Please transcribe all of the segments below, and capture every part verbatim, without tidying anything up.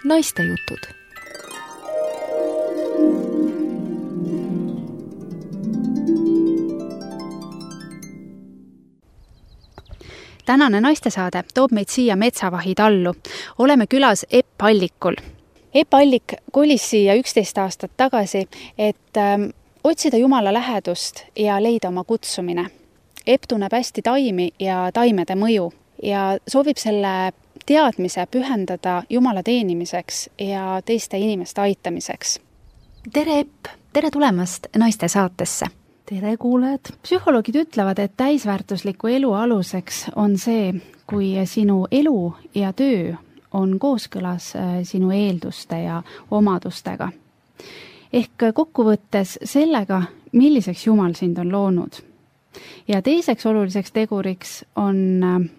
Naistejutud. Tänane naistesaade toob meid siia Metsavahi tallu. Oleme külas Epp Allikul. Epp Allik kolis siia üksteist aastat tagasi, et ähm, otsida Jumala lähedust ja leida oma kutsumine. Epp tunneb hästi taimi ja taimede mõju ja soovib selle teadmise pühendada Jumala teenimiseks ja teiste inimeste aitamiseks. Tere Epp, tere tulemast naiste saatesse. Tere kuulajad. Psühholoogid ütlevad, et täisväärtusliku elu aluseks on see, kui sinu elu ja töö on kooskõlas sinu eelduste ja omadustega. Ehk kokkuvõttes sellega, milliseks Jumal sind on loonud. Ja teiseks oluliseks teguriks on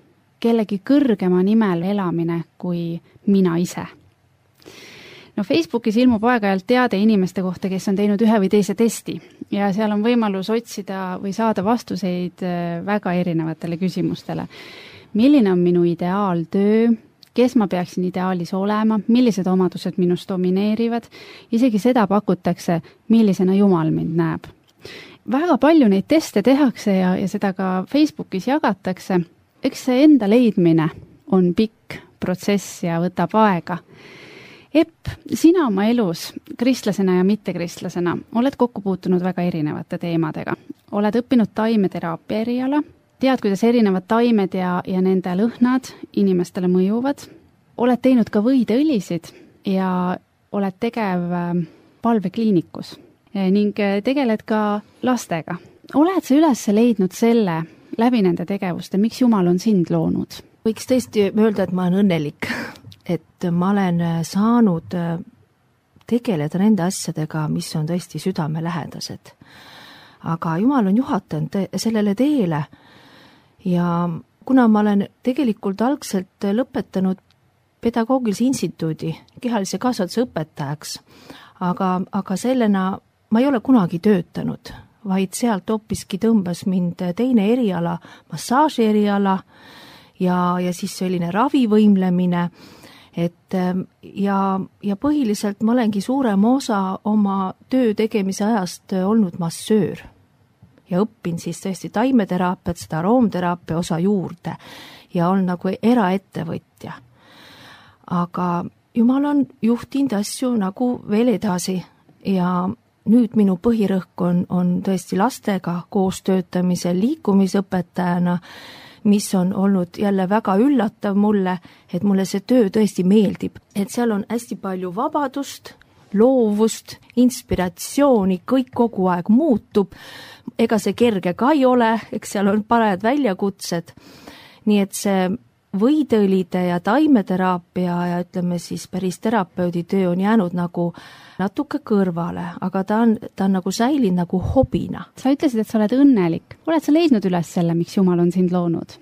kellegi kõrgema nimel elamine kui mina ise. No Facebookis ilmub aeg-ajalt teade inimeste kohta, kes on teinud ühe või teise testi ja seal on võimalus otsida või saada vastuseid väga erinevatele küsimustele. Milline on minu ideaaltöö, kes ma peaksin ideaalis olema, millised omadused minust domineerivad, isegi seda pakutakse, millisena Jumal mind näeb. Väga palju neid teste tehakse ja, ja seda ka Facebookis jagatakse. Eks see enda leidmine on pikk protsess ja võtab aega. Epp, sina oma elus kristlasena ja mittekristlasena oled kokku puutunud väga erinevate teemadega. Oled õppinud taimeteraapia eriala, tead, kuidas erinevad taimed ja, ja nende lõhnad inimestele mõjuvad. Oled teinud ka võideõlisid ja oled tegev palvekliinikus ning tegeled ka lastega. Oled sa üles leidnud selle läbi nende tegevuste, miks Jumal on sind loonud? Võiks tõesti öelda, et ma olen õnnelik, et ma olen saanud tegeleda nende asjadega, mis on tõesti südamelähedased. Aga Jumal on juhatanud sellele teele ja kuna ma olen tegelikult algselt lõpetanud pedagoogilise instituudi kehalise kasvatuse õpetajaks, aga, aga sellena ma ei ole kunagi töötanud, vaid sealt hoopiski tõmbas mind teine eriala, massaaži eriala ja, ja siis selline ravivõimlemine. Et ja, ja põhiliselt ma olengi suurema osa oma töö tegemise ajast olnud massöör ja õppin siis tõesti taimeteraapiat, seda aroomteraapia osa juurde ja olen nagu eraettevõtja. Aga Jumal on juhtinud asju nagu veel edasi ja nüüd minu põhirõhk on, on tõesti lastega koos töötamisel liikumisõpetajana, mis on olnud jälle väga üllatav mulle, et mulle see töö tõesti meeldib. Et seal on hästi palju vabadust, loovust, inspiratsiooni, kõik kogu aeg muutub. Ega see kerge ka ei ole, eks seal on parajad väljakutsed. Nii et see võideõlide ja taimeteraapia ja ütleme siis päris terapeudi töö on jäänud nagu natuke kõrvale, aga ta on, ta on nagu säilinud nagu hobina. Sa ütlesid, et sa oled õnnelik. Oled sa leidnud üles selle, miks Jumal on sind loonud?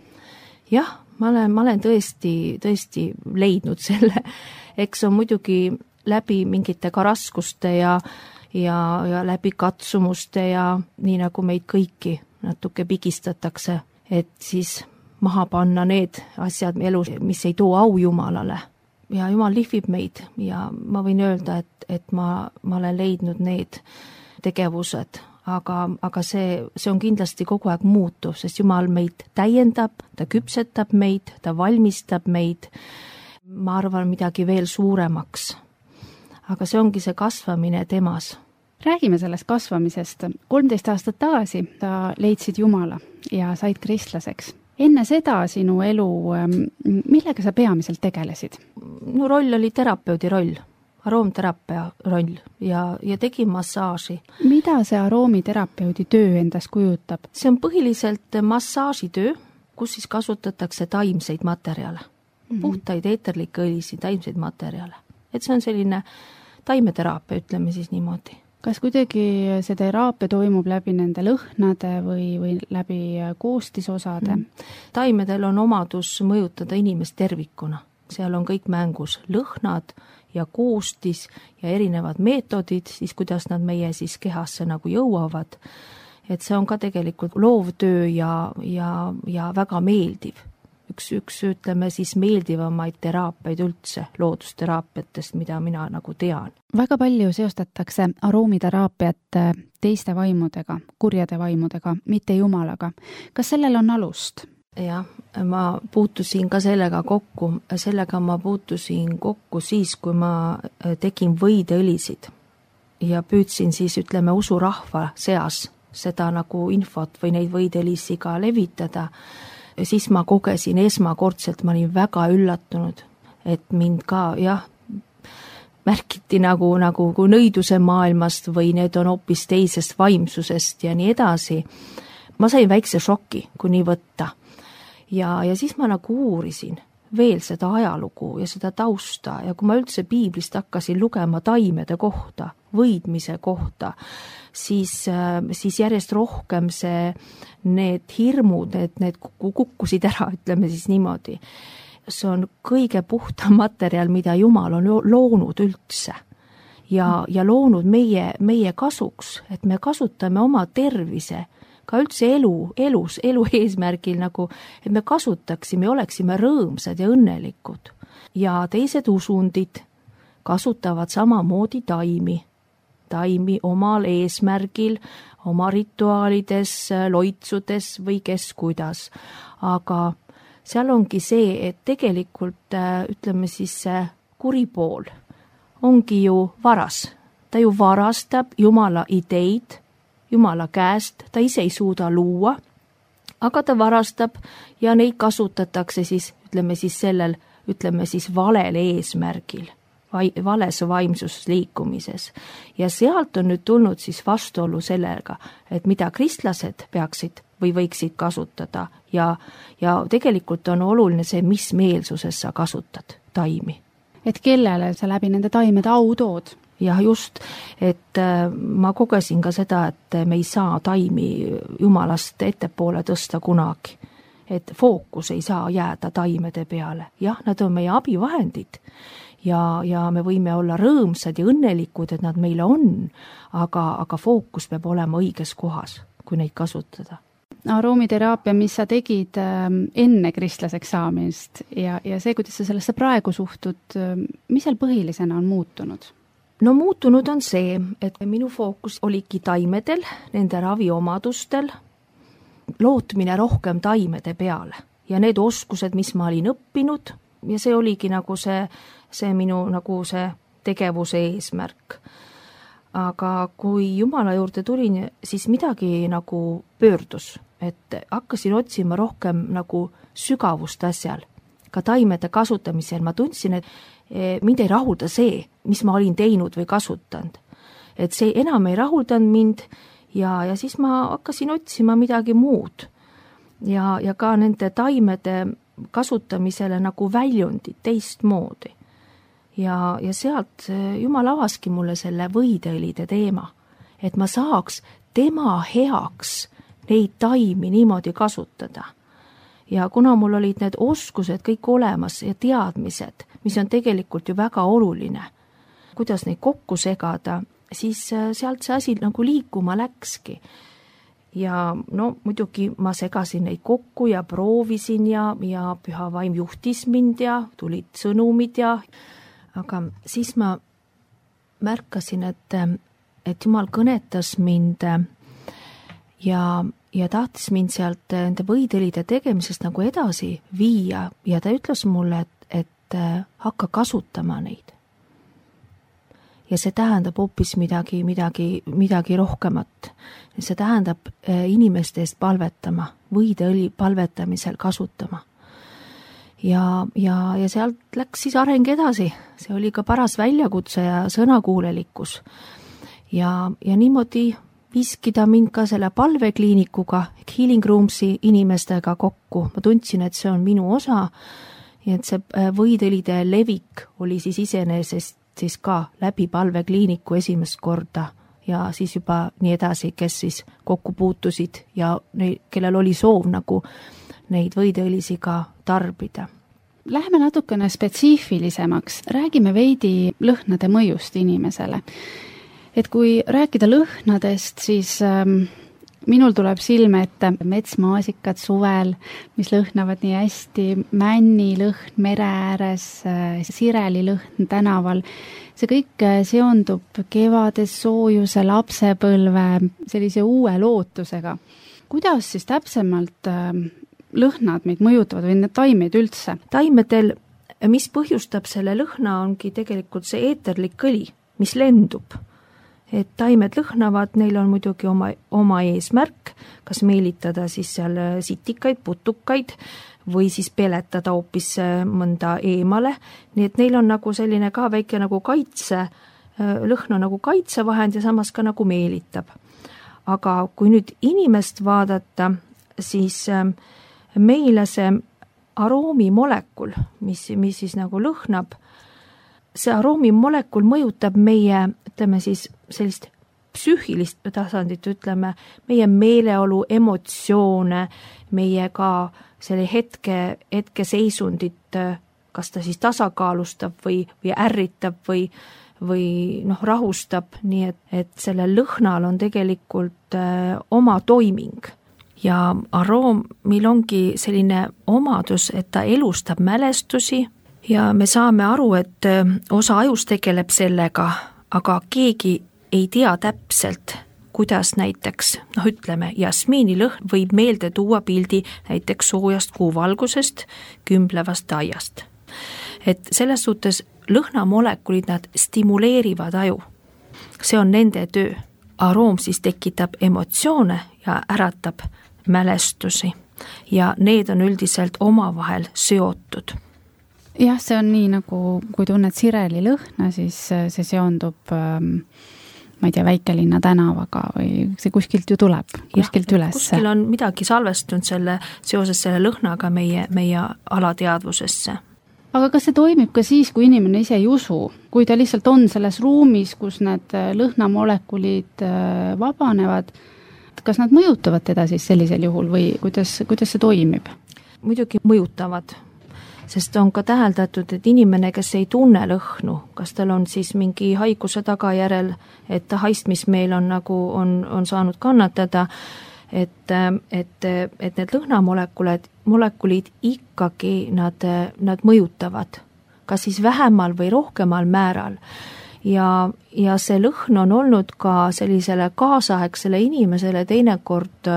Jah, ma olen, ma olen tõesti, tõesti leidnud selle. Eks on muidugi läbi mingite ka raskuste ja, ja, ja läbi katsumuste ja nii nagu meid kõiki natuke pigistatakse, et siis maha panna need asjad elus, mis ei too au Jumalale. Ja Jumal lihvib meid ja ma võin öelda, et, et ma, ma olen leidnud need tegevused, aga, aga see, see on kindlasti kogu aeg muutuv, sest Jumal meid täiendab, ta küpsetab meid, ta valmistab meid, ma arvan, midagi veel suuremaks. Aga see ongi see kasvamine temas. Räägime sellest kasvamisest. kolmteist aastat tagasi sa leidsid Jumala ja said kristlaseks. Enne seda sinu elu, millega sa peamiselt tegelesid? No roll oli terapeudi roll, aroomteraapia roll ja, ja tegin massaaži. Mida see aroomterapeudi töö endas kujutab? See on põhiliselt massaažitöö, kus siis kasutatakse taimseid materjale, mm-hmm. puhtaid eeterlikke õlisi, taimseid materjale. Et see on selline taimeteraapia, ütleme siis niimoodi. Kas kuidagi see teraapia toimub läbi nende lõhnade või, või läbi koostisosade? Mm. Taimedel on omadus mõjutada inimest tervikuna. Seal on kõik mängus lõhnad ja koostis ja erinevad meetodid, siis kuidas nad meie siis kehasse nagu jõuavad. Et see on ka tegelikult loovtöö ja, ja, ja väga meeldiv. üks, üks ütleme siis meeldivamaid teraapiaid üldse, loodusteraapiatest, mida mina nagu tean. Väga palju seostatakse aroomiterapiat teiste vaimudega, kurjade vaimudega, mitte jumalaga. Kas sellel on alust? Jah, ma puutusin ka sellega kokku, sellega ma puutusin kokku siis, kui ma tegin võideõlisid ja püüdsin siis, ütleme, usurahva seas seda nagu infot või neid võideõlisi ka levitada. Ja siis ma kogesin esmakordselt, ma olin väga üllatunud, et mind ka, jah, märkiti nagu, nagu kui nõiduse maailmast või need on hoopis teisest vaimsusest ja nii edasi. Ma sain väikse šoki, kui nii võtta. Ja, ja siis ma nagu uurisin veel seda ajalugu ja seda tausta ja kui ma üldse piiblist hakkasin lugema taimede kohta, võidmise kohta, siis, siis järjest rohkem see, need hirmud, need, need kukkusid ära, ütleme siis niimoodi. See on kõige puhtam materjal, mida Jumal on loonud üldse ja, ja loonud meie, meie kasuks, et me kasutame oma tervise ka üldse elu, elus, elu eesmärgil nagu, et me kasutaksime, oleksime rõõmsad ja õnnelikud. Ja teised usundid kasutavad samamoodi taimi, taimi omal eesmärgil, oma rituaalides, loitsudes või kes kuidas. Aga seal ongi see, et tegelikult, ütleme siis, kuri pool ongi ju varas. Ta ju varastab Jumala ideid, Jumala käest, ta ise ei suuda luua, aga ta varastab ja neid kasutatakse siis, ütleme siis sellel, ütleme siis valel eesmärgil, vai, vales vaimsusliikumises. Ja sealt on nüüd tulnud siis vastuolu sellega, et mida kristlased peaksid või võiksid kasutada ja, ja tegelikult on oluline see, mis meelsuses sa kasutad taimi. Et kellele sa läbi nende taimede au tood? Jah, just, et ma kogesin ka seda, et me ei saa taimi Jumalast ettepoole tõsta kunagi. Et fookus ei saa jääda taimede peale. Jah, nad on meie abivahendid ja, ja me võime olla rõõmsad ja õnnelikud, et nad meile on, aga, aga fookus peab olema õiges kohas, kui neid kasutada. Aroomiteraapia, mis sa tegid enne kristlaseks saamist ja, ja see, kuidas sa sellesse praegu suhtud, mis seal põhilisena on muutunud? No muutunud on see, et minu fookus oligi taimedel, nende raviomadustel, lootmine rohkem taimede peale ja need oskused, mis ma olin õppinud ja see oligi nagu see, see minu nagu see tegevuse eesmärk. Aga kui Jumala juurde tulin, siis midagi nagu pöördus, et hakkasin otsima rohkem nagu sügavust asjal. Ka taimede kasutamisel ma tundsin, et mind ei rahulda see, mis ma olin teinud või kasutanud. Et see enam ei rahuldanud mind ja, ja siis ma hakkasin otsima midagi muud. Ja, ja ka nende taimede kasutamisele nagu väljundid teistmoodi. Ja, ja sealt Jumal avaski mulle selle võideõlide teema, et ma saaks tema heaks neid taimi niimoodi kasutada. Ja kuna mul olid need oskused kõik olemas ja teadmised, mis on tegelikult ju väga oluline, kuidas neid kokku segada, siis sealt see asi nagu liikuma läkski. Ja no muidugi ma segasin neid kokku ja proovisin ja, ja Püha Vaim juhtis mind ja tulid sõnumid ja, aga siis ma märkasin, et, et Jumal kõnetas mind ja ja tahtis mind sealt nende võideõlide tegemisest nagu edasi viia ja ta ütles mulle, et, et hakka kasutama neid. Ja see tähendab hoopis midagi, midagi, midagi rohkemat. See tähendab inimeste eest palvetama, võideõli palvetamisel kasutama. Ja, ja, ja sealt läks siis areng edasi. See oli ka paras väljakutse ja sõnakuulelikkus. Ja, ja niimoodi viskida mind ka selle palvekliinikuga, Healing Roomsi inimestega kokku. Ma tundsin, et see on minu osa ja et see võideõlide levik oli siis iseenesest siis ka läbi palvekliiniku esimest korda ja siis juba nii edasi, kes siis kokku puutusid ja neid, kellel oli soov nagu neid võideõlisi ka tarbida. Läheme natukene spetsiifilisemaks, räägime veidi lõhnade mõjust inimesele. Et kui rääkida lõhnadest, siis ähm, minul tuleb silme ette metsmaasikad suvel, mis lõhnavad nii hästi, männilõhn mere ääres, sireli lõhn tänaval. See kõik seondub kevades soojuse, lapsepõlve, sellise uue lootusega. Kuidas siis täpsemalt lõhnad meid mõjutavad või need taimed üldse? Taimedel, mis põhjustab selle lõhna, ongi tegelikult see eeterlik kõli, mis lendub. Et taimed lõhnavad, neil on muidugi oma, oma eesmärk, kas meelitada siis seal sitikaid, putukaid või siis peletada hoopis mõnda eemale. Nii et neil on nagu selline ka väike nagu kaitse, lõhn on nagu kaitsevahend ja samas ka nagu meelitab. Aga kui nüüd inimest vaadata, siis meile see aroomimolekul, mis, mis siis nagu lõhnab, see aroomimolekul mõjutab meie, ütleme siis sellist psüühilist tasandit, ütleme, meie meeleolu, emotsioone, meie ka selle hetke, hetke seisundit, kas ta siis tasakaalustab või, või ärritab või, või noh, rahustab, nii et, et selle lõhnal on tegelikult äh, oma toiming. Ja aroomil ongi selline omadus, et ta elustab mälestusi ja me saame aru, et osa ajus tegeleb sellega, aga keegi ei tea täpselt, kuidas näiteks, noh ütleme, jasmiinilõhn võib meelde tuua pildi näiteks soojast kuuvalgusest, kümblevast aiast. Et selles suhtes lõhnamolekulid, nad stimuleerivad aju. See on nende töö. Aroom siis tekitab emotsioone ja äratab mälestusi ja need on üldiselt omavahel seotud. Jah, see on nii nagu, kui tunned sireli lõhna, siis see seondub, ma ei tea, väikelinna tänavaga või see kuskilt ju tuleb, kuskilt ja, üles. Kuskil on midagi salvestunud selle, seoses selle lõhnaga meie, meie alateadvusesse. Aga kas see toimib ka siis, kui inimene ise ei usu, kui ta lihtsalt on selles ruumis, kus need lõhnamolekulid vabanevad, kas nad mõjutavad teda siis sellisel juhul või kuidas, kuidas see toimib? Muidugi mõjutavad. Sest on ka täheldatud, et inimene, kes ei tunne lõhnu, kas tal on siis mingi haiguse tagajärel, et haistmismeel on nagu on, on saanud kannatada, et, et, et need lõhnamolekulid, molekulid ikkagi nad, nad mõjutavad, kas siis vähemal või rohkemal määral. Ja, ja see lõhn on olnud ka sellisele kaasaegsele inimesele teinekord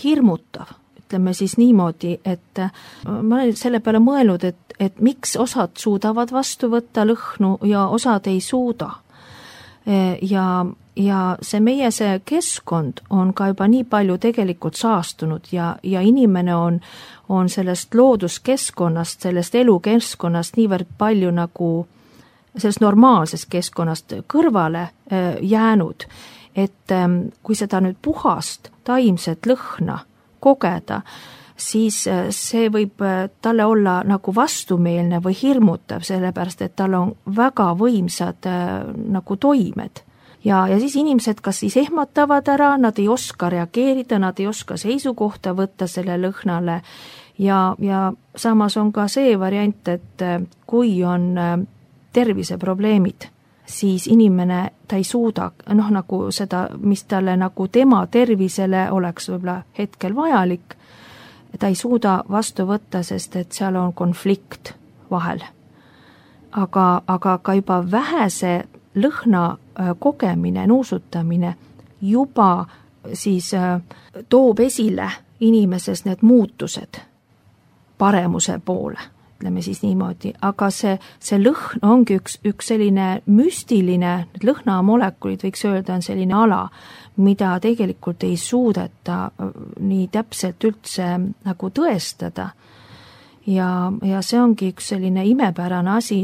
hirmutav. Ütleme siis niimoodi, et ma olen selle peale mõelnud, et, et miks osad suudavad vastu võtta lõhnu ja osad ei suuda. Ja, ja see meie see keskkond on ka juba nii palju tegelikult saastunud ja, ja inimene on, on sellest looduskeskkonnast, sellest elukeskkonnast niivõrd palju nagu sellest normaalsest keskkonnast kõrvale jäänud, et kui seda nüüd puhast taimset lõhna kogeda, siis see võib talle olla nagu vastumeelne või hirmutav, sellepärast et tal on väga võimsad nagu toimed. Ja, ja siis inimesed kas siis ehmatavad ära, nad ei oska reageerida, nad ei oska seisukohta võtta selle lõhnale ja, ja samas on ka see variant, et kui on terviseprobleemid, siis inimene, ta ei suuda, noh nagu seda, mis talle nagu tema tervisele oleks võib-olla hetkel vajalik, ta ei suuda vastu võtta, sest et seal on konflikt vahel. Aga, aga ka juba vähese lõhna kogemine, nuusutamine juba siis toob esile inimeses need muutused paremuse poole. Ütleme siis niimoodi, aga see, see lõhn ongi üks, üks selline müstiline, need lõhnamolekulid võiks öelda on selline ala, mida tegelikult ei suudeta nii täpselt üldse nagu tõestada. Ja, ja see ongi üks selline imepärane asi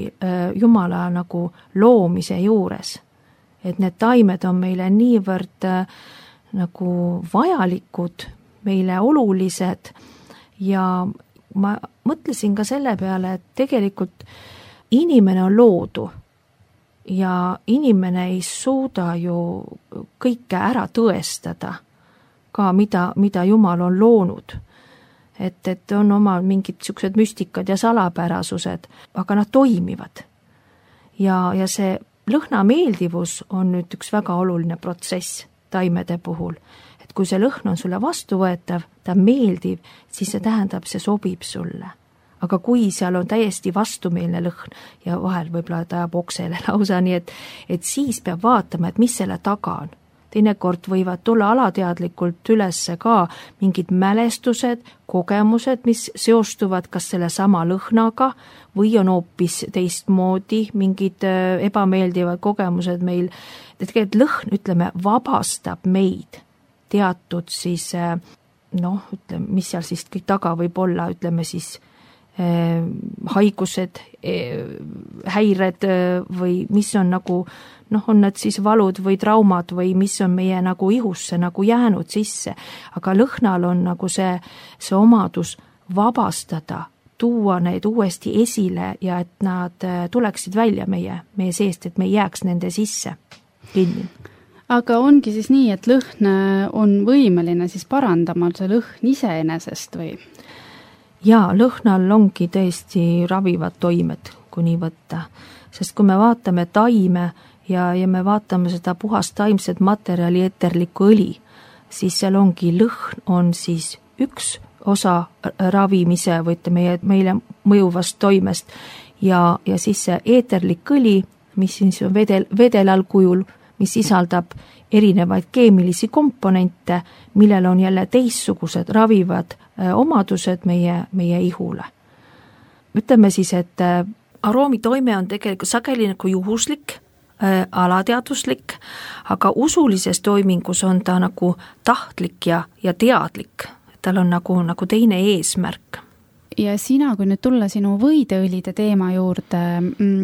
Jumala nagu loomise juures. Et need taimed on meile niivõrd nagu vajalikud, meile olulised ja ma mõtlesin ka selle peale, et tegelikult inimene on loodu ja inimene ei suuda ju kõike ära tõestada, ka mida, mida Jumal on loonud. Et, et on oma mingid siuksed müstikad ja salapärasused, aga nad toimivad. Ja, ja see lõhna meeldivus on nüüd üks väga oluline protsess taimede puhul. et kui see lõhn on sulle vastuvõetav, ta on meeldiv, siis see tähendab, see sobib sulle. Aga kui seal on täiesti vastumeelne lõhn ja vahel võib-olla ta ajab oksele lausa, nii et, et siis peab vaatama, et mis selle taga on. Teinekord võivad tulla alateadlikult ülesse ka mingid mälestused, kogemused, mis seostuvad kas selle sama lõhnaga või on hoopis teistmoodi mingid ebameeldivad kogemused meil. Tegelikult lõhn, ütleme, vabastab meid teatud siis, noh, ütleme, mis seal siis kõik taga võib olla, ütleme siis eh, haigused, eh, häired eh, või mis on nagu noh, on need siis valud või traumad või mis on meie nagu ihusse nagu jäänud sisse, aga lõhnal on nagu see, see omadus vabastada, tuua need uuesti esile ja et nad tuleksid välja meie, meie seest, et me ei jääks nende sisse kinni. Aga ongi siis nii, et lõhn on võimeline siis parandama see lõhn iseenesest või? Jaa, lõhnal ongi tõesti ravivad toimed, kui nii võtta, sest kui me vaatame taime, Ja, ja me vaatame seda puhast taimset materjali eterlikku õli, siis seal ongi lõhn on siis üks osa ravimise või meie, meile mõjuvast toimest ja, ja siis see eterlik õli, mis siis on vedel, vedelal kujul, mis sisaldab erinevaid keemilisi komponente, millel on jälle teistsugused ravivad omadused meie, meie ihule. Ütleme siis, et aroomitoime on tegelikult sageli nagu juhuslik, alateaduslik, aga usulises toimingus on ta nagu tahtlik ja, ja teadlik. Tal on nagu, nagu teine eesmärk. Ja sina, kui nüüd tulla sinu võideõlide teema juurde,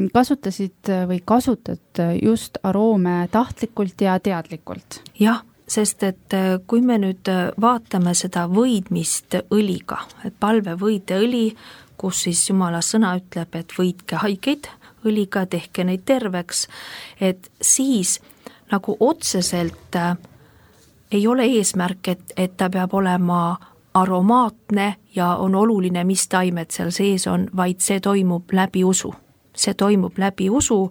kasutasid või kasutad just aroome tahtlikult ja teadlikult? Jah, sest et kui me nüüd vaatame seda võidmist õliga, et palvevõideõli, kus siis Jumala sõna ütleb, et võidke haigeid, õliga tehke neid terveks, et siis nagu otseselt äh, ei ole eesmärk, et, et ta peab olema aromaatne ja on oluline, mis taimed seal sees on, vaid see toimub läbi usu. See toimub läbi usu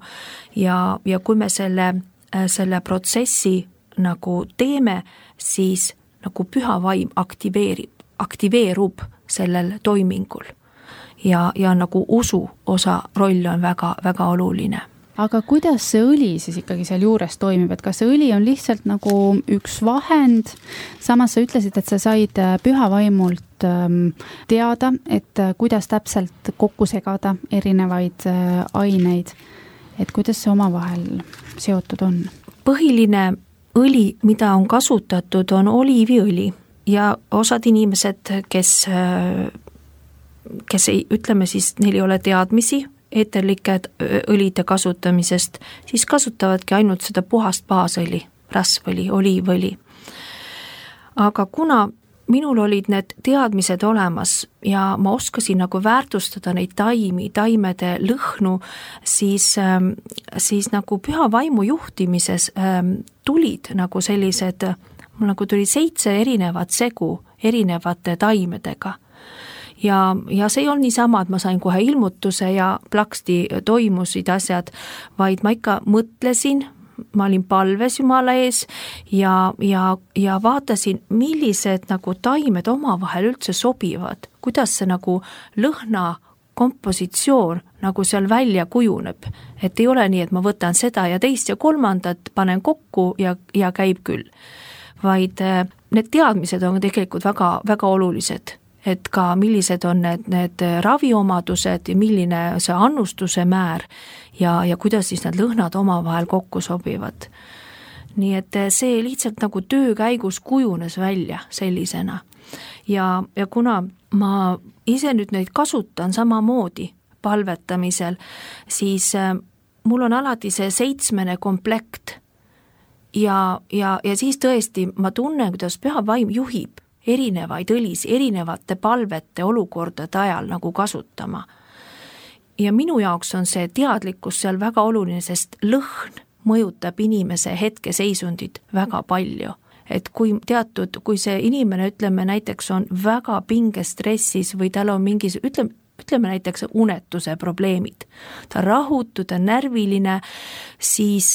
ja, ja kui me selle, äh, selle protsessi nagu teeme, siis nagu püha vaim aktiveerib, aktiveerub sellel toimingul. Ja, ja nagu usu osa roll on väga, väga oluline. Aga kuidas see õli siis ikkagi seal juures toimib, et kas see õli on lihtsalt nagu üks vahend, samas sa ütlesid, et sa said püha vaimult teada, et kuidas täpselt kokku segada erinevaid aineid, et kuidas see omavahel seotud on? Põhiline õli, mida on kasutatud, on oliiviõli ja osad inimesed, kes kes ei, ütleme siis, neil ei ole teadmisi eeterlike õlide kasutamisest, siis kasutavadki ainult seda puhast baasõli, rasvõli, oliivõli. Aga kuna minul olid need teadmised olemas ja ma oskasin nagu väärtustada neid taimi, taimede lõhnu, siis, siis nagu püha vaimu juhtimises tulid nagu sellised, mul nagu tuli seitse erinevat segu erinevate taimedega. Ja, ja see ei olnud niisama, et ma sain kohe ilmutuse ja plaksti toimusid asjad, vaid ma ikka mõtlesin, ma olin palves Jumala ees ja, ja, ja vaatasin, millised nagu taimed omavahel üldse sobivad, kuidas see nagu lõhna kompositsioon nagu seal välja kujuneb, et ei ole nii, et ma võtan seda ja teist ja kolmandat, panen kokku ja, ja käib küll, vaid need teadmised on tegelikult väga, väga olulised. Et ka millised on need, need raviomadused ja milline see annustuse määr ja, ja kuidas siis need lõhnad omavahel kokku sobivad. Nii et see lihtsalt nagu töö käigus kujunes välja sellisena. Ja, ja kuna ma ise nüüd neid kasutan samamoodi palvetamisel, siis mul on alati see seitsmene komplekt ja, ja, ja siis tõesti ma tunnen, kuidas püha vaim juhib erinevaid õlis, erinevate palvete olukordade ajal nagu kasutama. Ja minu jaoks on see teadlikkus seal väga oluline, sest lõhn mõjutab inimese hetkeseisundit väga palju. Et kui teatud, kui see inimene, ütleme näiteks on väga pingestressis või tal on mingis, ütleme, ütleme näiteks unetuse probleemid, ta rahutu, ta närviline, siis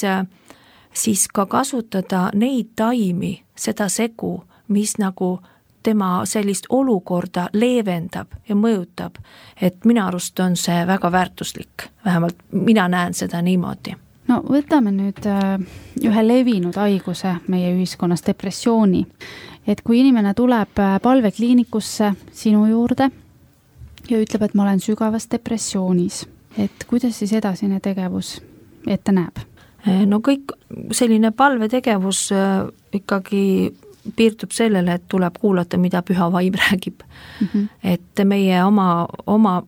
siis ka kasutada neid taimi, seda segu, mis nagu tema sellist olukorda leevendab ja mõjutab, et minu arust on see väga väärtuslik, vähemalt mina näen seda niimoodi. No võtame nüüd ühe levinud haiguse meie ühiskonnas, depressiooni, et kui inimene tuleb palvekliinikusse sinu juurde ja ütleb, et ma olen sügavas depressioonis, et kuidas siis edasine tegevus ette näeb? No kõik selline palvetegevus ikkagi piirdub sellele, et tuleb kuulata, mida püha vaim räägib. Mm-hmm. Et meie oma, oma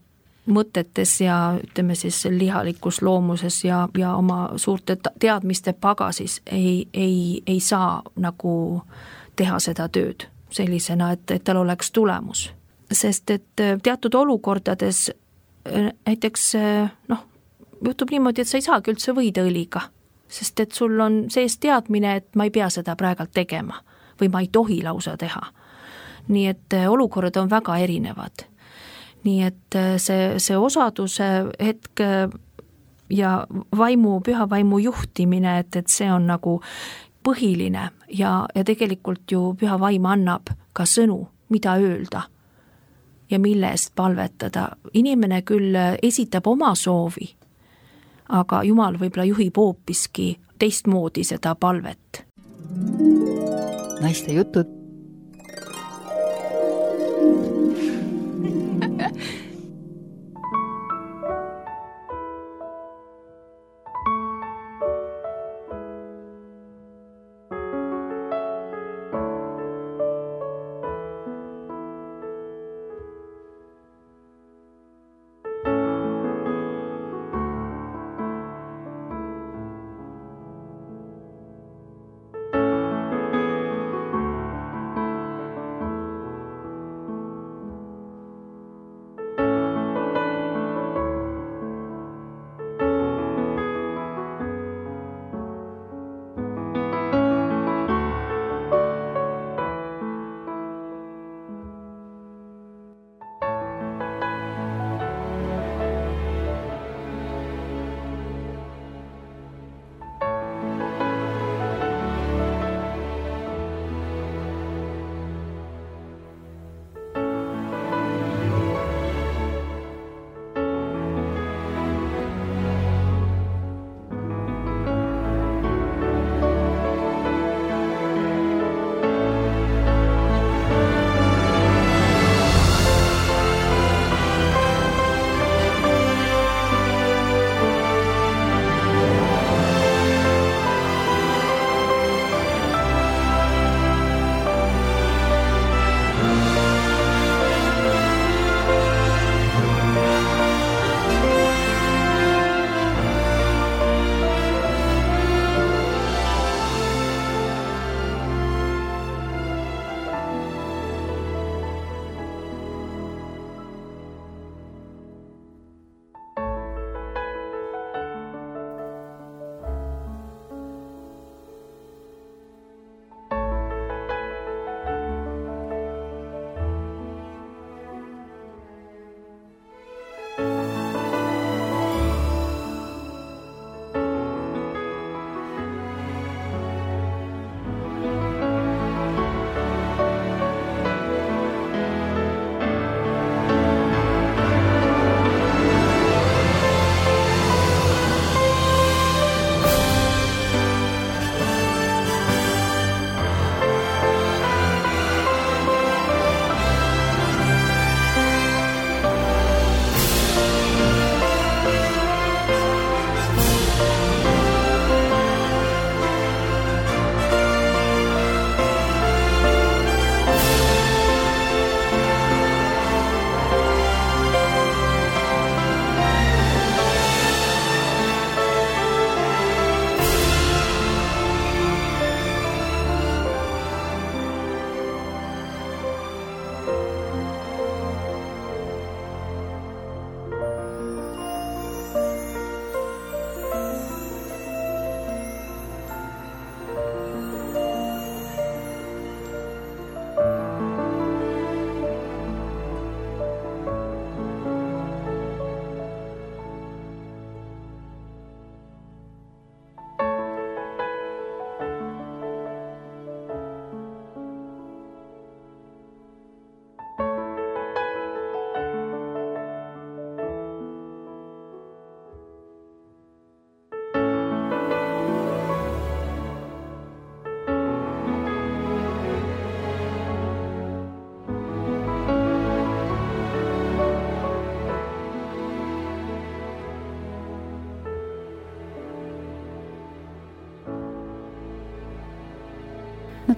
mõtetes ja ütleme siis lihalikus loomuses ja, ja oma suurte teadmiste pagasis ei, ei, ei saa nagu teha seda tööd sellisena, et, et tal oleks tulemus. Sest et teatud olukordades näiteks noh, juhtub niimoodi, et sa ei saagi üldse võida õliga, sest et sul on sees teadmine, et ma ei pea seda praegalt tegema või ma ei tohi lausa teha. Nii et olukorrad on väga erinevad. Nii et see, see osaduse hetk ja vaimu, püha vaimu juhtimine, et, et see on nagu põhiline ja, ja tegelikult ju püha vaim annab ka sõnu, mida öelda ja mille eest palvetada. Inimene küll esitab oma soovi, aga Jumal võib-olla juhib hoopiski teistmoodi seda palvet. Naiste jutud.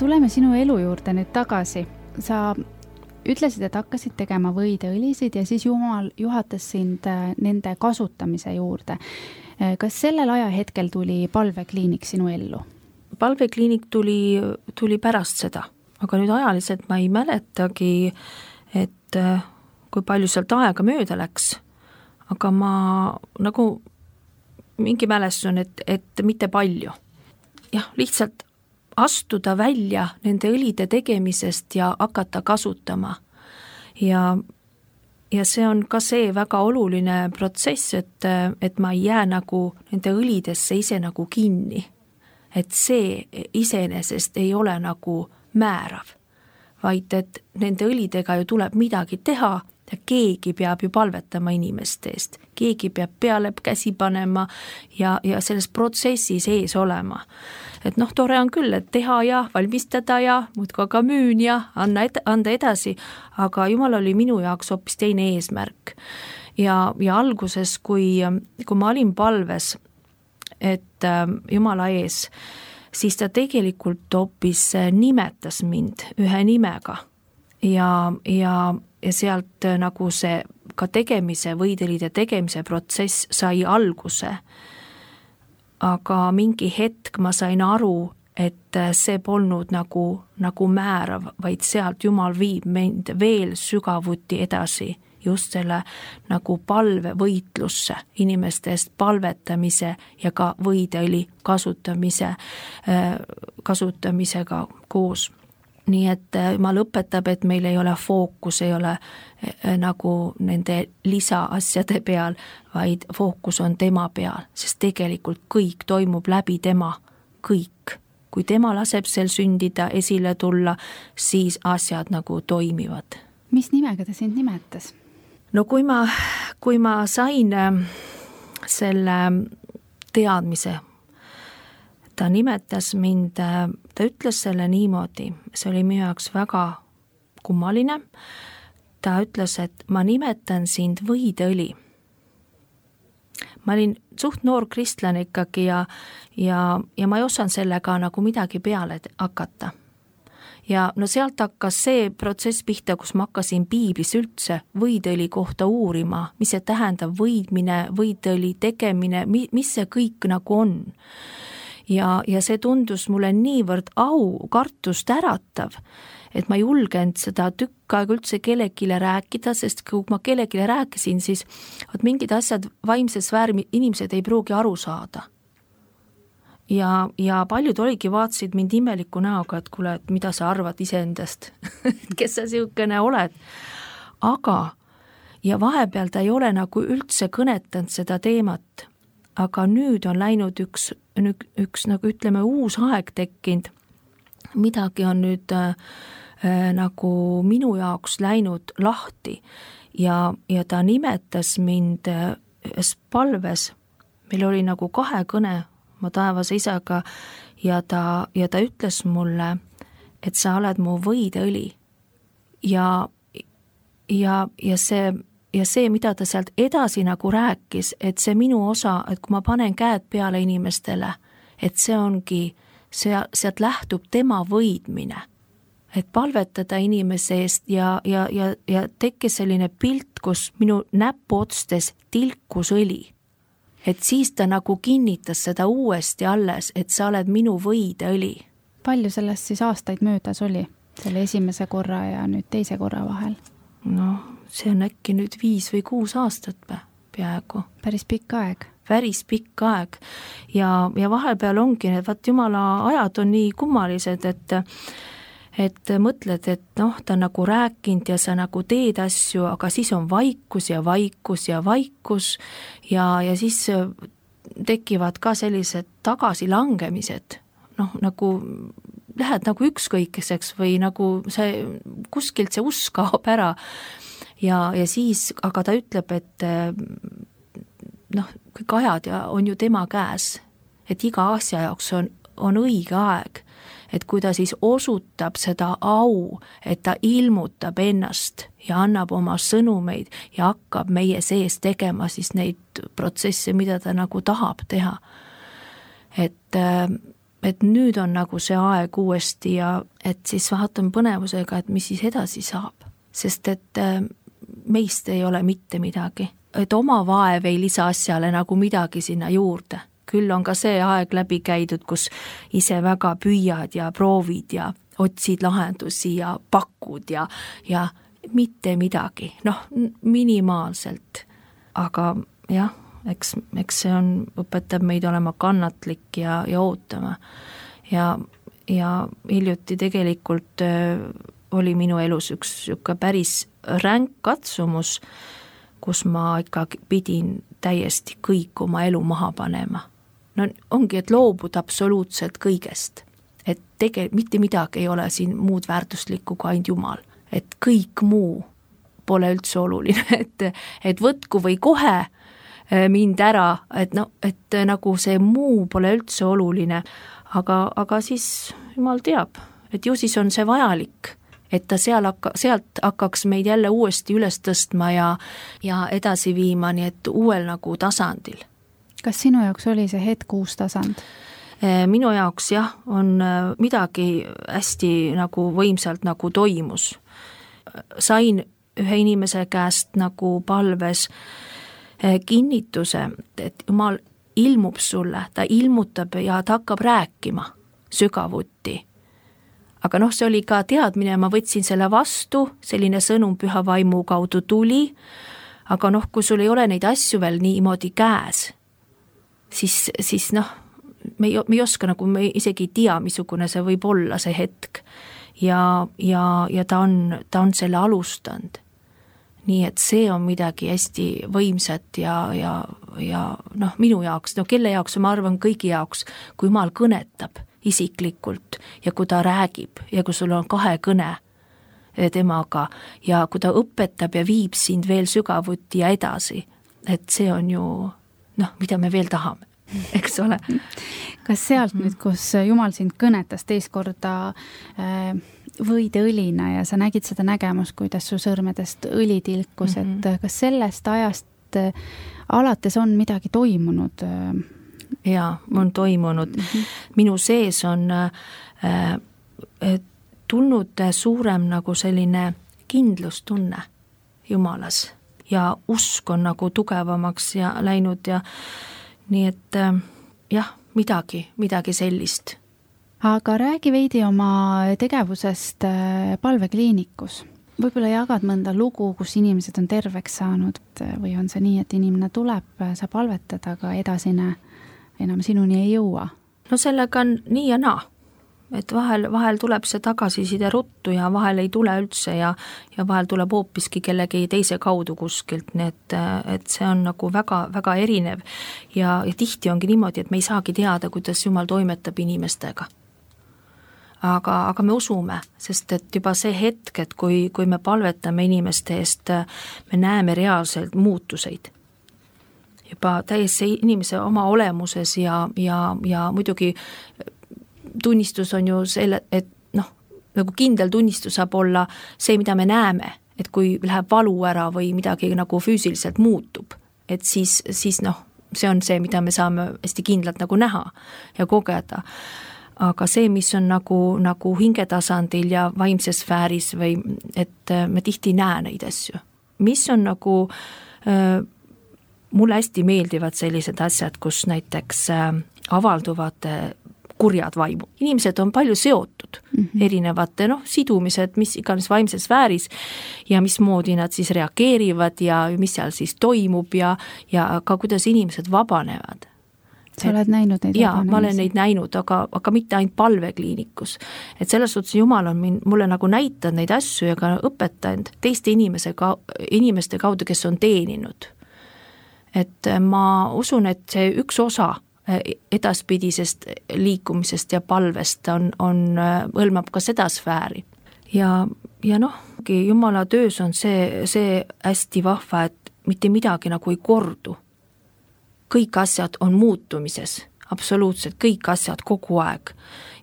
tuleme sinu elu juurde nüüd tagasi. Sa ütlesid, et hakkasid tegema võideõlisid ja siis Jumal juhatas sind nende kasutamise juurde. Kas sellel ajahetkel tuli palvekliinik sinu ellu? Palvekliinik tuli, tuli pärast seda, aga nüüd ajaliselt ma ei mäletagi, et kui palju sealt aega mööda läks, aga ma nagu mingi mälestus on, et, et mitte palju. Jah, lihtsalt astuda välja nende õlide tegemisest ja hakata kasutama. Ja, ja see on ka see väga oluline protsess, et, et ma ei jää nagu nende õlidesse ise nagu kinni. Et see iseenesest ei ole nagu määrav, vaid et nende õlidega ju tuleb midagi teha ja keegi peab ju palvetama inimeste eest. Keegi peab peale käsi panema ja, ja selles protsessis ees olema. Et noh, tore on küll, et teha ja valmistada ja muudkui ka müün ja anna ed- anda edasi, aga Jumal oli minu jaoks hoopis teine eesmärk. Ja, ja alguses, kui, kui ma olin palves, et Jumala ees, siis ta tegelikult hoopis nimetas mind ühe nimega ja, ja, ja sealt nagu see ka tegemise, võidelide tegemise protsess sai alguse. Aga mingi hetk ma sain aru, et see polnud nagu, nagu määrav, vaid sealt Jumal viib mind veel sügavuti edasi just selle nagu palve võitlusse, inimeste eest palvetamise ja ka võideõli kasutamise, kasutamisega koos. Nii et Jumal õpetab, et meil ei ole fookus, ei ole nagu nende lisaasjade peal, vaid fookus on tema peal, sest tegelikult kõik toimub läbi tema, kõik. Kui tema laseb sel sündida, esile tulla, siis asjad nagu toimivad. Mis nimega ta sind nimetas? No kui ma, kui ma sain selle teadmise, ta nimetas mind, ta ütles selle niimoodi, see oli minu jaoks väga kummaline, ta ütles, et ma nimetan sind võideõli. Ma olin suht noor kristlane ikkagi ja, ja, ja ma ei osanud sellega nagu midagi peale hakata. Ja no sealt hakkas see protsess pihta, kus ma hakkasin piiblis üldse võideõli kohta uurima, mis see tähendab võidmine, võideõli tegemine, mis see kõik nagu on. Ja, ja see tundus mulle niivõrd au, kartust äratav, et ma julgenud seda tükk aega üldse kellegile rääkida, sest kui ma kellegile rääkisin, siis et mingid asjad vaimses sfääri inimesed ei pruugi aru saada. Ja, ja paljud oligi vaatasid mind imeliku näoga, et kuule, et mida sa arvad iseendast, kes sa siukene oled. Aga, ja vahepeal ta ei ole nagu üldse kõnetanud seda teemat, aga nüüd on läinud üks, üks nagu ütleme uus aeg tekkinud, midagi on nüüd äh, nagu minu jaoks läinud lahti ja, ja ta nimetas mind ühes palves, meil oli nagu kahe kõne ma taevase isaga ja ta, ja ta ütles mulle, et sa oled mu võideõli ja, ja, ja see Ja see, mida ta sealt edasi nagu rääkis, et see minu osa, et kui ma panen käed peale inimestele, et see ongi, see, sealt lähtub tema võidmine. Et palvetada inimese eest ja, ja, ja, ja tekkis selline pilt, kus minu näpuotstes tilkus õli. Et siis ta nagu kinnitas seda uuesti alles, et sa oled minu võideõli. Palju sellest siis aastaid möödas oli, selle esimese korra ja nüüd teise korra vahel? No, see on äkki nüüd viis või kuus aastat peaaegu. Päris pikk aeg. Päris pikk aeg. Ja, ja vahepeal ongi, et vaat Jumala ajad on nii kummalised, et, et mõtled, et noh, ta nagu rääkinud ja sa nagu teed asju, aga siis on vaikus ja vaikus ja vaikus ja, ja siis tekivad ka sellised tagasilangemised, noh, nagu lähed nagu ükskõikeseks või nagu see, kuskilt see usk kaob ära ja, ja siis, aga ta ütleb, et noh, kõik ajad ja on ju tema käes, et iga asja jaoks on, on õige aeg, et kui ta siis osutab seda au, et ta ilmutab ennast ja annab oma sõnumeid ja hakkab meie sees tegema siis neid protsesse, mida ta nagu tahab teha. Et et nüüd on nagu see aeg uuesti ja et siis vaatan põnevusega, et mis siis edasi saab, sest et meist ei ole mitte midagi, et oma vaev ei lisa asjale nagu midagi sinna juurde, küll on ka see aeg läbi käidud, kus ise väga püüad ja proovid ja otsid lahendusi ja pakud ja, ja mitte midagi, noh, minimaalselt, aga jah, eks, eks see on, õpetab meid olema kannatlik ja, ja ootama ja, ja hiljuti tegelikult äh, oli minu elus üks siuke päris ränk katsumus, kus ma ikkagi pidin täiesti kõik oma elu maha panema. No ongi, et loobuda absoluutselt kõigest, et tegelikult mitte midagi ei ole siin muud väärtuslikku kui ainult Jumal, et kõik muu pole üldse oluline, et, et võtku või kohe mind ära, et no, et nagu see muu pole üldse oluline, aga, aga siis Jumal teab, et ju siis on see vajalik, et ta seal hakka, sealt hakkaks meid jälle uuesti üles tõstma ja, ja edasi viima, nii et uuel nagu tasandil. Kas sinu jaoks oli see hetk uus tasand? Minu jaoks jah, on midagi hästi nagu võimsalt nagu toimus. Sain ühe inimese käest nagu palves kinnituse, et Jumal ilmub sulle, ta ilmutab ja ta hakkab rääkima sügavuti. Aga noh, see oli ka teadmine, ma võtsin selle vastu, selline sõnum püha vaimu kaudu tuli, aga noh, kui sul ei ole neid asju veel niimoodi käes, siis, siis noh, me ei, me ei oska nagu, me isegi ei tea, missugune see võib olla see hetk ja, ja, ja ta on, ta on selle alustanud. Nii et see on midagi hästi võimsat ja, ja, ja noh, minu jaoks, no kelle jaoks, ma arvan kõigi jaoks, kui Jumal kõnetab isiklikult ja kui ta räägib ja kui sul on kahe kõne temaga ja kui ta õpetab ja viib sind veel sügavuti ja edasi, et see on ju noh, mida me veel tahame, eks ole. Kas sealt nüüd, kus Jumal sind kõnetas teist korda äh, võideõlina ja sa nägid seda nägemust, kuidas su sõrmedest õli tilkus, mm -hmm. et kas sellest ajast alates on midagi toimunud? Jaa, on toimunud. Mm -hmm. Minu sees on äh, tulnud suurem nagu selline kindlustunne Jumalas ja usk on nagu tugevamaks ja läinud ja nii et äh, jah, midagi, midagi sellist. Aga räägi veidi oma tegevusest palvekliinikus. Võib-olla jagad mõnda lugu, kus inimesed on terveks saanud või on see nii, et inimene tuleb, sa palvetad, aga edasine enam sinuni ei jõua? No sellega on nii ja naa, et vahel, vahel tuleb see tagasiside ruttu ja vahel ei tule üldse ja, ja vahel tuleb hoopiski kellegi teise kaudu kuskilt, nii et, et see on nagu väga, väga erinev ja, ja tihti ongi niimoodi, et me ei saagi teada, kuidas Jumal toimetab inimestega. Aga, aga me usume, sest et juba see hetk, et kui, kui me palvetame inimeste eest, me näeme reaalselt muutuseid. Juba täiesti inimese oma olemuses ja, ja, ja muidugi tunnistus on ju selle, et noh, nagu kindel tunnistus saab olla see, mida me näeme, et kui läheb valu ära või midagi nagu füüsiliselt muutub, et siis, siis noh, see on see, mida me saame hästi kindlalt nagu näha ja kogeda. Aga see, mis on nagu, nagu hingetasandil ja vaimses sfääris või et me tihti näe neid asju. Mis on nagu, äh, mulle hästi meeldivad sellised asjad, kus näiteks äh, avalduvad äh, kurjad vaimu. Inimesed on palju seotud mm -hmm. erinevate noh, sidumised, mis iganes vaimses sfääris ja mismoodi nad siis reageerivad ja mis seal siis toimub ja, ja ka kuidas inimesed vabanevad. Sa oled näinud neid? Jaa, ma olen neid näinud, aga, aga mitte ainult palvekliinikus. Et selles suhtes Jumal on min, mulle nagu näitanud neid asju ja ka õpetanud teiste inimese, inimeste kaudu, kes on teeninud. Et ma usun, et see üks osa edaspidisest liikumisest ja palvest on, on, hõlmab ka seda sfääri. Ja, ja noh, Jumala töös on see, see hästi vahva, et mitte midagi nagu ei kordu. Kõik asjad on muutumises, absoluutselt kõik asjad kogu aeg.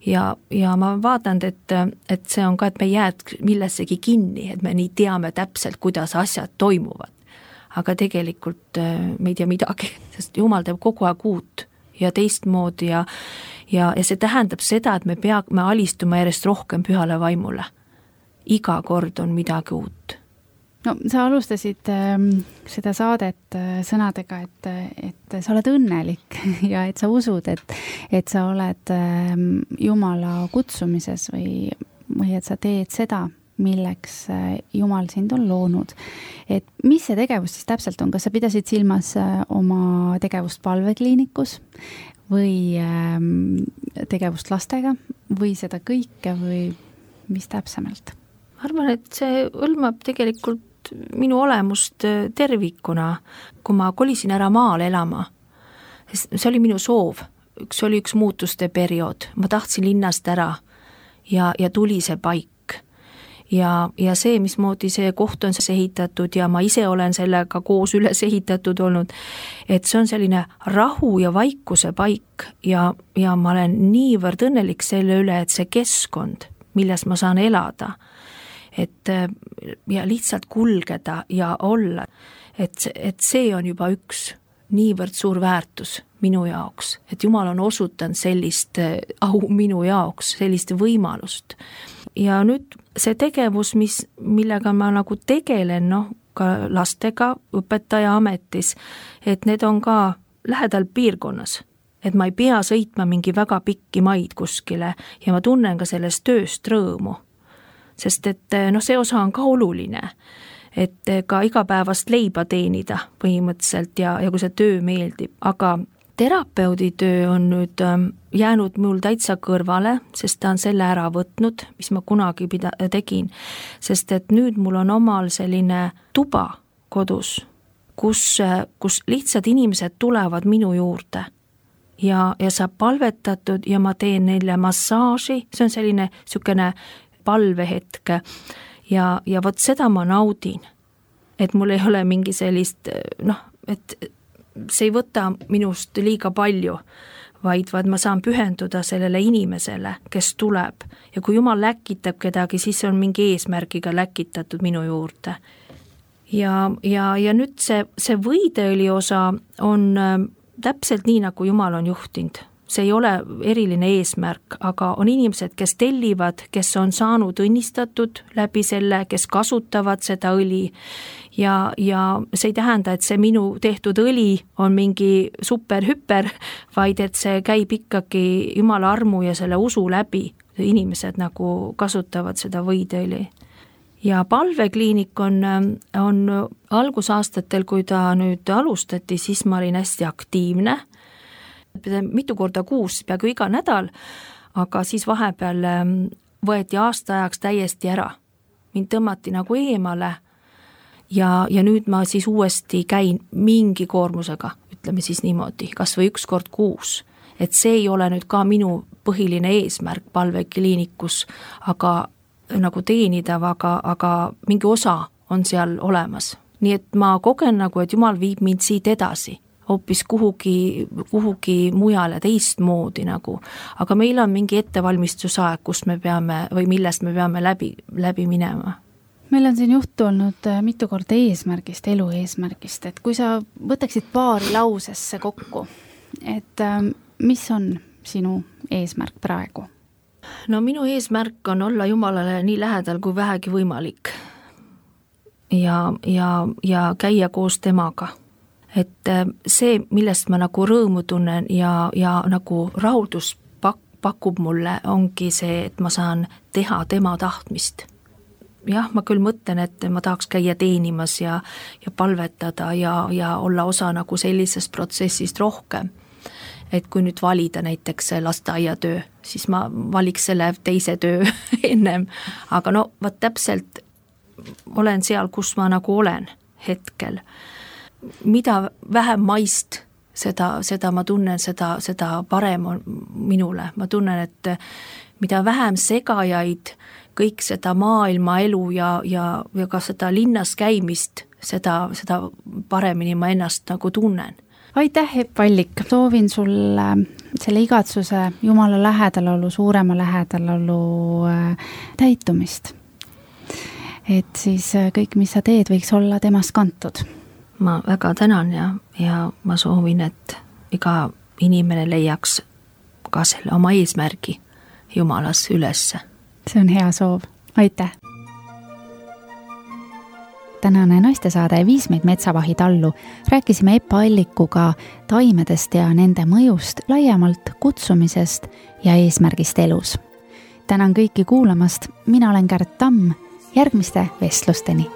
Ja, ja ma vaatan, et, et see on ka, et me jääd millessegi kinni, et me nii teame täpselt, kuidas asjad toimuvad. Aga tegelikult me ei tea midagi, sest Jumal teeb kogu aeg uut ja teistmoodi ja ja, ja see tähendab seda, et me peame alistuma järjest rohkem pühale vaimule. Iga kord on midagi uut. No sa alustasid äh, seda saadet äh, sõnadega, et, et sa oled õnnelik ja et sa usud, et, et sa oled äh, Jumala kutsumises või, või et sa teed seda, milleks äh, Jumal sind on loonud. Et mis see tegevus siis täpselt on? Kas sa pidasid silmas äh, oma tegevust palvekliinikus või äh, tegevust lastega või seda kõike või mis täpsemalt? Ma arvan, et see hõlmab tegelikult minu olemust tervikuna, kui ma kolisin ära maal elama. See oli minu soov, see oli üks muutuste periood, ma tahtsin linnast ära ja, ja tuli see paik. Ja, ja see, mismoodi see koht on ehitatud ja ma ise olen sellega koos üles ehitatud olnud, et see on selline rahu ja vaikuse paik ja, ja ma olen niivõrd õnnelik selle üle, et see keskkond, milles ma saan elada, et ja lihtsalt kulgeda ja olla, et, et see on juba üks niivõrd suur väärtus minu jaoks, et Jumal on osutanud sellist au minu jaoks, sellist võimalust. Ja nüüd see tegevus, mis, millega ma nagu tegelen, noh, ka lastega õpetaja ametis, et need on ka lähedal piirkonnas, et ma ei pea sõitma mingi väga pikki maid kuskile ja ma tunnen ka sellest tööst rõõmu. Sest et no see osa on ka oluline, et ka igapäevast leiba teenida põhimõtteliselt ja, ja kui see töö meeldib, aga terapeudi töö on nüüd jäänud mul täitsa kõrvale, sest ta on selle ära võtnud, mis ma kunagi pida- tegin, sest et nüüd mul on omal selline tuba kodus, kus, kus lihtsalt inimesed tulevad minu juurde ja, ja saab palvetatud ja ma teen neile massaaži, see on selline sükene palvehetke ja, ja vot seda ma naudin, et mul ei ole mingi sellist, noh, et see ei võta minust liiga palju, vaid, vaid ma saan pühenduda sellele inimesele, kes tuleb ja kui Jumal läkitab kedagi, siis on mingi eesmärgiga läkitatud minu juurde. Ja, ja, ja nüüd see, see võideõli osa on täpselt nii, nagu Jumal on juhtinud. See ei ole eriline eesmärk, aga on inimesed, kes tellivad, kes on saanud õnnistatud läbi selle, kes kasutavad seda õli ja, ja see ei tähenda, et see minu tehtud õli on mingi super-hüper, vaid et see käib ikkagi Jumala armu ja selle usu läbi. Inimesed nagu kasutavad seda võideõli. Ja palvekliinik on, on algusaastatel, kui ta nüüd alustati, siis ma olin hästi aktiivne, mitu korda kuus, peaaegu iga nädal, aga siis vahepeal võeti aasta ajaks täiesti ära. Mind tõmmati nagu eemale ja, ja nüüd ma siis uuesti käin mingi koormusega, ütleme siis niimoodi, kas või üks kord kuus. Et see ei ole nüüd ka minu põhiline eesmärk palvekliinikus, aga nagu teenida, aga, aga mingi osa on seal olemas. Nii et ma kogen nagu, et Jumal viib mind siit edasi. Hoopis kuhugi, kuhugi mujale teistmoodi nagu, aga meil on mingi ettevalmistusaeg, kus me peame või millest me peame läbi, läbi minema. Meil on siin juttu olnud mitu korda eesmärgist, elu eesmärgist, et kui sa võtaksid paari lausesse kokku, et mis on sinu eesmärk praegu? No minu eesmärk on olla Jumalale nii lähedal kui vähegi võimalik ja, ja, ja käia koos temaga. Et see, millest ma nagu rõõmu tunnen ja, ja nagu rahuldus pak, pakub mulle, ongi see, et ma saan teha tema tahtmist. Jah, ma küll mõtlen, et ma tahaks käia teenimas ja, ja palvetada ja, ja olla osa nagu sellisest protsessist rohkem. Et kui nüüd valida näiteks lasteaiatöö, siis ma valiks selle teise töö ennem. Aga no, vaat täpselt olen seal, kus ma nagu olen hetkel. Mida vähem maist, seda, seda ma tunnen, seda, seda parem on minule. Ma tunnen, et mida vähem segajaid, kõik seda maailma elu ja, ja, ja ka seda linnas käimist, seda, seda paremini ma ennast nagu tunnen. Aitäh, Epp Allik! Soovin sulle selle igatsuse Jumala lähedalolu, suurema lähedalolu täitumist. Et siis kõik, mis sa teed, võiks olla temast kantud. Ma väga tänan ja, ja ma soovin, et iga inimene leiaks ka selle oma eesmärgi Jumalas ülesse. See on hea soov, aitäh! Tänane naistesaade Viis meid metsavahi tallu rääkisime Epa Allikuga taimedest ja nende mõjust, laiemalt kutsumisest ja eesmärgist elus. Tänan kõiki kuulamast, mina olen Kärt Tamm, järgmiste vestlusteni!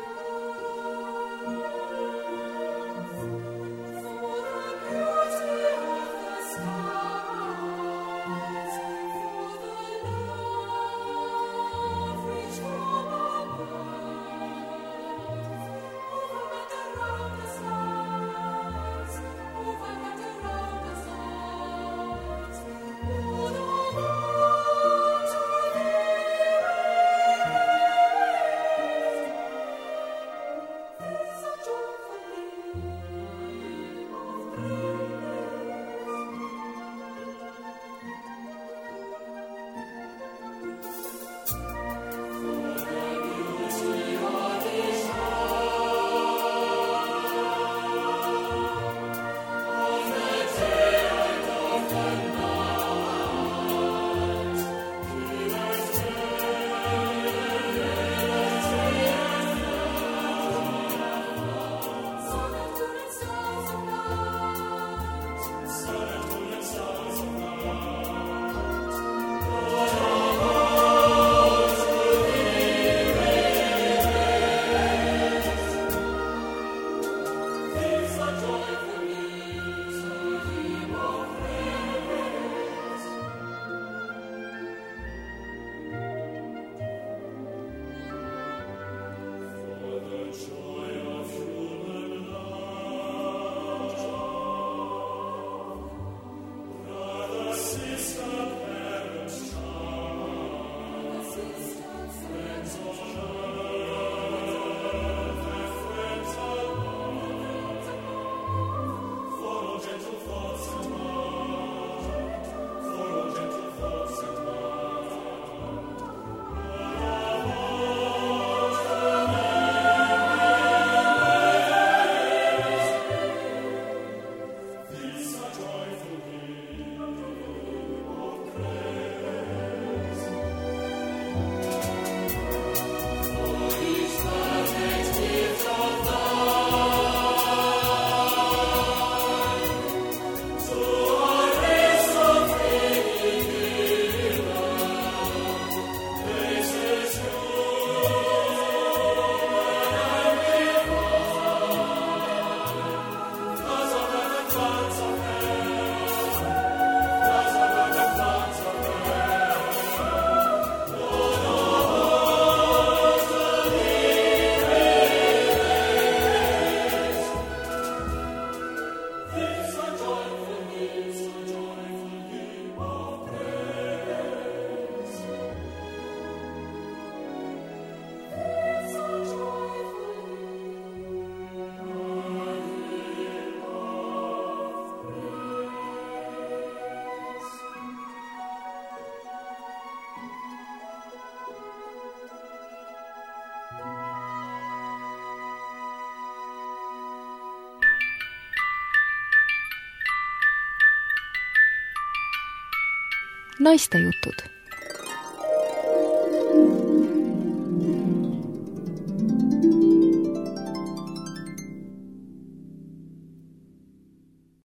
Naistejutud